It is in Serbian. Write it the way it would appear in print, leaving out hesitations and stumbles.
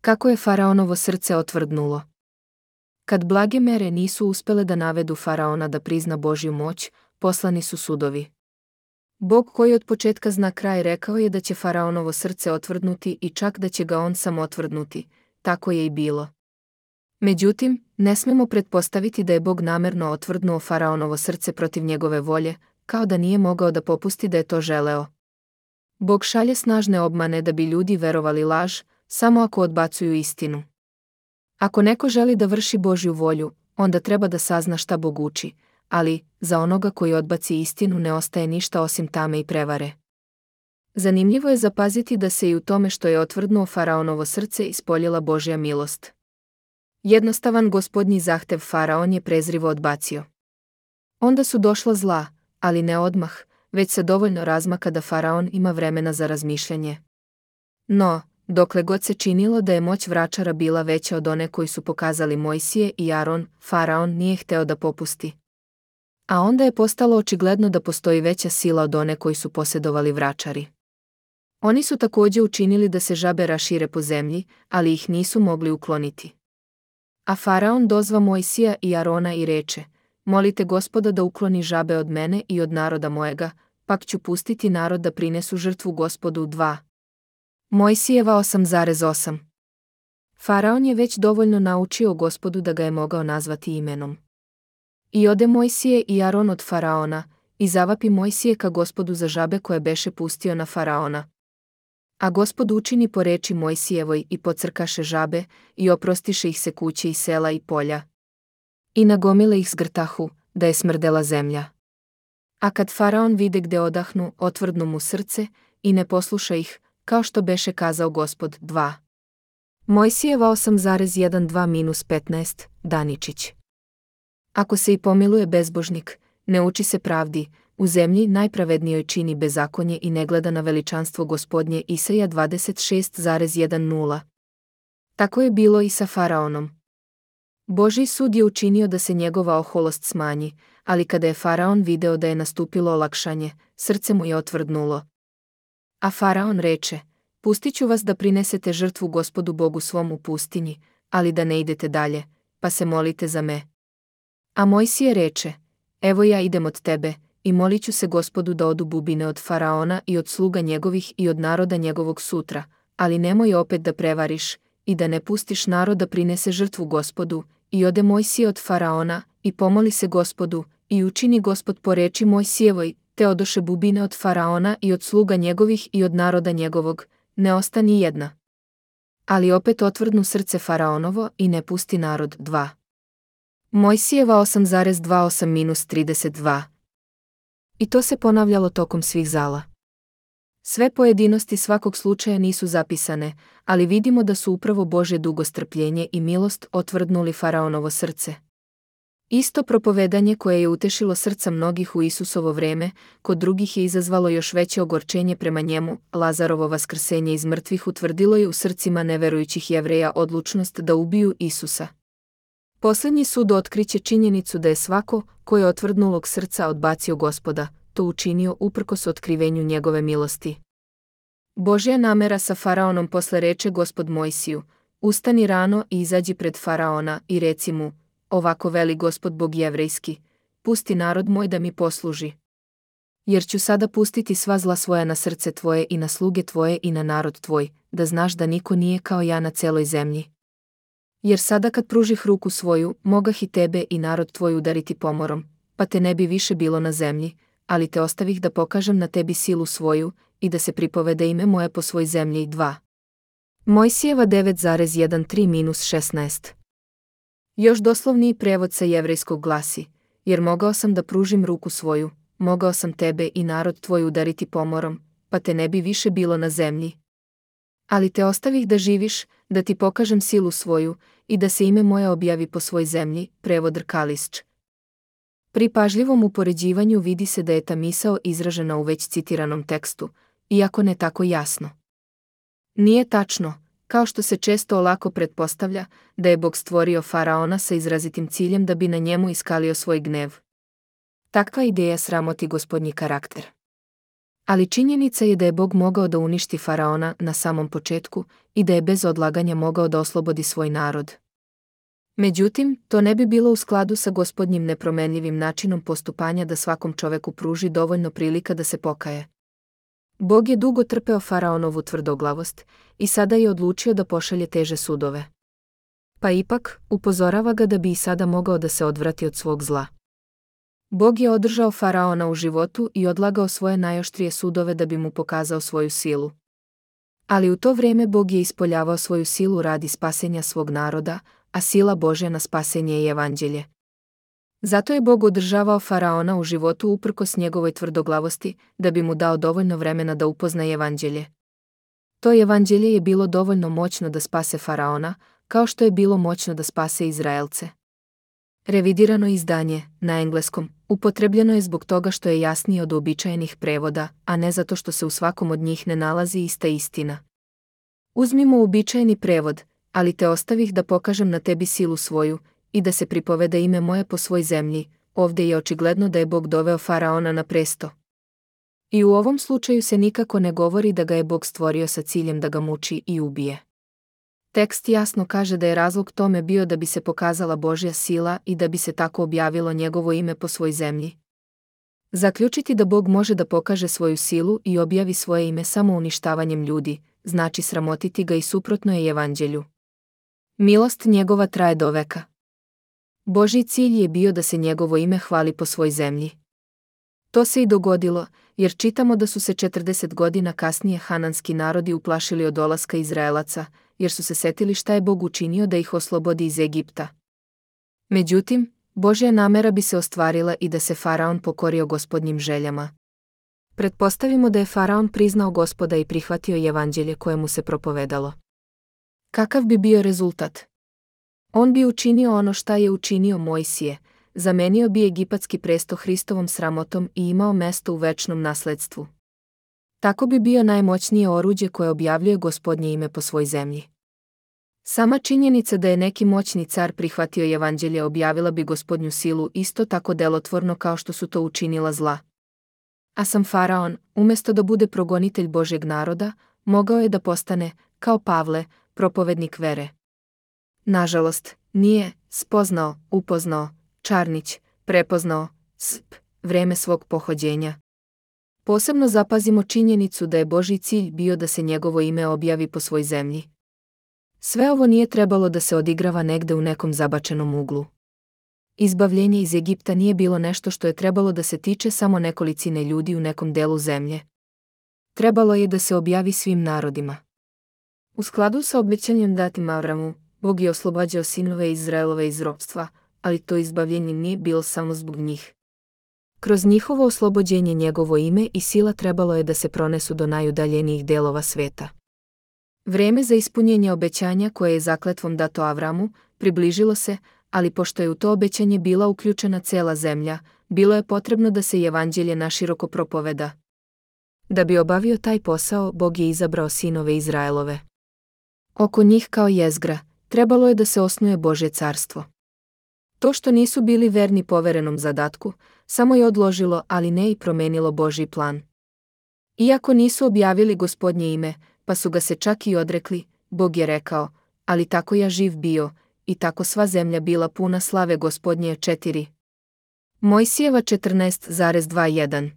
Kako je faraonovo srce otvrdnulo. Kad blage mere nisu uspele da navedu faraona da prizna Božju moć, poslani su sudovi. Bog koji od početka zna kraj rekao je da će faraonovo srce otvrdnuti i čak da će ga on sam otvrdnuti, tako je i bilo. Međutim, ne smemo pretpostaviti da je Bog namerno otvrdnuo faraonovo srce protiv njegove volje, kao da nije mogao da popusti da je to želeo. Bog šalje snažne obmane da bi ljudi verovali laž, samo ako odbacuju istinu. Ako neko želi da vrši Božju volju, onda treba da sazna šta Bog uči, ali za onoga koji odbaci istinu ne ostaje ništa osim tame i prevare. Zanimljivo je zapaziti da se i u tome što je otvrdnuo faraonovo srce ispoljila Božja milost. Jednostavan gospodnji zahtev faraon je prezrivo odbacio. Onda su došla zla, ali ne odmah, već se dovoljno razmaka da faraon ima vremena za razmišljanje. No, dokle god se činilo da je moć vračara bila veća od one koji su pokazali Mojsije i Aron, faraon nije hteo da popusti. A onda je postalo očigledno da postoji veća sila od one koji su posjedovali vračari. Oni su također učinili da se žabe rašire po zemlji, ali ih nisu mogli ukloniti. A faraon dozva Mojsija i Arona i reče: molite Gospoda da ukloni žabe od mene i od naroda mojega, pak ću pustiti narod da prinesu žrtvu Gospodu 2. Mojsijeva 8,8. Faraon je već dovoljno naučio Gospodu da ga je mogao nazvati imenom. I ode Mojsije i Aron od faraona, i zavapi Mojsije ka Gospodu za žabe koje beše pustio na faraona. A Gospod učini po reči Mojsijevoj i pocrkaše žabe, i oprostiše ih se kuće i sela i polja. I nagomile ih zgrtahu, da je smrdela zemlja. A kad faraon vide gde odahnu, otvrdnu mu srce, i ne posluša ih, kao što beše kazao Gospod 2. Mojsijeva 8,12-15, Daničić. Ako se i pomiluje bezbožnik, ne uči se pravdi, u zemlji najpravednijoj čini bezakonje i ne gleda na veličanstvo Gospodnje. Isaija 26,10. Tako je bilo i sa faraonom. Božji sud je učinio da se njegova oholost smanji, ali kada je faraon video da je nastupilo olakšanje, srce mu je otvrdnulo. A faraon reče: pustit ću vas da prinesete žrtvu Gospodu Bogu svom u pustinji, ali da ne idete dalje, pa se molite za me. A Mojsije reče: evo ja idem od tebe, i molit ću se Gospodu da odu bubine od faraona i od sluga njegovih i od naroda njegovog sutra, ali nemoj opet da prevariš, i da ne pustiš narod da prinese žrtvu Gospodu. I ode Mojsije od faraona, i pomoli se Gospodu, i učini Gospod po reči Mojsijevoj, te odoše bubine od faraona i od sluga njegovih i od naroda njegovog, ne ostani jedna. Ali opet otvrdnu srce faraonovo i ne pusti narod 2. Mojsijeva 8,28-32. I to se ponavljalo tokom svih zala. Sve pojedinosti svakog slučaja nisu zapisane, ali vidimo da su upravo Božje dugostrpljenje i milost otvrdnuli faraonovo srce. Isto propovedanje koje je utešilo srca mnogih u Isusovo vreme, kod drugih je izazvalo još veće ogorčenje prema njemu. Lazarovo vaskrsenje iz mrtvih utvrdilo je u srcima neverujućih Jevreja odlučnost da ubiju Isusa. Posljednji sud otkriće činjenicu da je svako, ko je otvrdnulog srca odbacio Gospoda, to učinio uprkos otkrivenju njegove milosti. Božja namera sa faraonom posle reče Gospod Mojsiju: ustani rano i izađi pred faraona i reci mu: ovako veli Gospod Bog jevrejski, pusti narod moj da mi posluži. Jer ću sada pustiti sva zla svoja na srce tvoje i na sluge tvoje i na narod tvoj, da znaš da niko nije kao ja na celoj zemlji. Jer sada kad pružih ruku svoju, mogah i tebe i narod tvoj udariti pomorom, pa te ne bi više bilo na zemlji, ali te ostavih da pokažem na tebi silu svoju i da se pripovede ime moje po svoj zemlji. 2. Mojsijeva 9,13-16. Još doslovniji prevod sa jevrejskog glasi: jer mogao sam da pružim ruku svoju, mogao sam tebe i narod tvoj udariti pomorom, pa te ne bi više bilo na zemlji. Ali te ostavih da živiš, da ti pokažem silu svoju i da se ime moje objavi po svoj zemlji. Prevod Rkališć. Pri pažljivom upoređivanju vidi se da je ta misao izražena u već citiranom tekstu, iako ne tako jasno. Nije tačno, kao što se često olako pretpostavlja, da je Bog stvorio faraona sa izrazitim ciljem da bi na njemu iskalio svoj gnev. Takva ideja sramoti Gospodnji karakter. Ali činjenica je da je Bog mogao da uništi faraona na samom početku i da je bez odlaganja mogao da oslobodi svoj narod. Međutim, to ne bi bilo u skladu sa Gospodnjim nepromenljivim načinom postupanja da svakom čoveku pruži dovoljno prilika da se pokaje. Bog je dugo trpeo faraonovu tvrdoglavost i sada je odlučio da pošalje teže sudove. Pa ipak, upozorava ga da bi i sada mogao da se odvrati od svog zla. Bog je održao faraona u životu i odlagao svoje najoštrije sudove da bi mu pokazao svoju silu. Ali u to vrijeme Bog je ispoljavao svoju silu radi spasenja svog naroda, a sila Božja na spasenje je evanđelje. Zato je Bog održavao faraona u životu uprkos njegovoj tvrdoglavosti, da bi mu dao dovoljno vremena da upozna evanđelje. To evanđelje je bilo dovoljno moćno da spase faraona, kao što je bilo moćno da spase Izraelce. Revidirano izdanje, na engleskom, upotrebljeno je zbog toga što je jasnije od uobičajenih prevoda, a ne zato što se u svakom od njih ne nalazi ista istina. Uzmimo uobičajeni prevod, ali te ostavih da pokažem na tebi silu svoju, i da se pripoveda ime moje po svoj zemlji. Ovdje je očigledno da je Bog doveo faraona na presto. I u ovom slučaju se nikako ne govori da ga je Bog stvorio sa ciljem da ga muči i ubije. Tekst jasno kaže da je razlog tome bio da bi se pokazala Božja sila i da bi se tako objavilo njegovo ime po svoj zemlji. Zaključiti da Bog može da pokaže svoju silu i objavi svoje ime samo uništavanjem ljudi, znači sramotiti ga i suprotno je evanđelju. Milost njegova traje do veka. Božji cilj je bio da se njegovo ime hvali po svoj zemlji. To se i dogodilo, jer čitamo da su se 40 godina kasnije hananski narodi uplašili od dolaska Izraelaca, jer su se setili šta je Bog učinio da ih oslobodi iz Egipta. Međutim, Božja namera bi se ostvarila i da se faraon pokorio Gospodnjim željama. Pretpostavimo da je faraon priznao Gospoda i prihvatio evanđelje koje mu se propovedalo. Kakav bi bio rezultat? On bi učinio ono šta je učinio Mojsije, zamenio bi egipatski presto Hristovom sramotom i imao mesto u večnom nasledstvu. Tako bi bio najmoćnije oruđe koje objavljuje Gospodnje ime po svoj zemlji. Sama činjenica da je neki moćni car prihvatio evanđelje objavila bi Gospodnju silu isto tako delotvorno kao što su to učinila zla. A sam faraon, umjesto da bude progonitelj Božjeg naroda, mogao je da postane, kao Pavle, propovednik vere. Nažalost, nije upoznao, Čarnić, prepoznao, vreme svog pohođenja. Posebno zapazimo činjenicu da je Božji cilj bio da se njegovo ime objavi po svoj zemlji. Sve ovo nije trebalo da se odigrava negde u nekom zabačenom uglu. Izbavljenje iz Egipta nije bilo nešto što je trebalo da se tiče samo nekolicine ljudi u nekom delu zemlje. Trebalo je da se objavi svim narodima. U skladu sa obećanjem datim Avramu, Bog je oslobađao sinove Izraelove iz ropstva, ali to izbavljenje nije bilo samo zbog njih. Kroz njihovo oslobođenje njegovo ime i sila trebalo je da se pronesu do najudaljenijih delova sveta. Vreme za ispunjenje obećanja koje je zakletvom dato Avramu približilo se, ali pošto je u to obećanje bila uključena cela zemlja, bilo je potrebno da se evanđelje naširoko propoveda. Da bi obavio taj posao, Bog je izabrao sinove Izraelove. Oko njih kao jezgra trebalo je da se osnuje Božje carstvo. To što nisu bili verni poverenom zadatku, samo je odložilo, ali ne i promenilo Božji plan. Iako nisu objavili Gospodnje ime, pa su ga se čak i odrekli, Bog je rekao, ali tako ja živ bio, i tako sva zemlja bila puna slave Gospodnje 4. Mojsijeva 14,21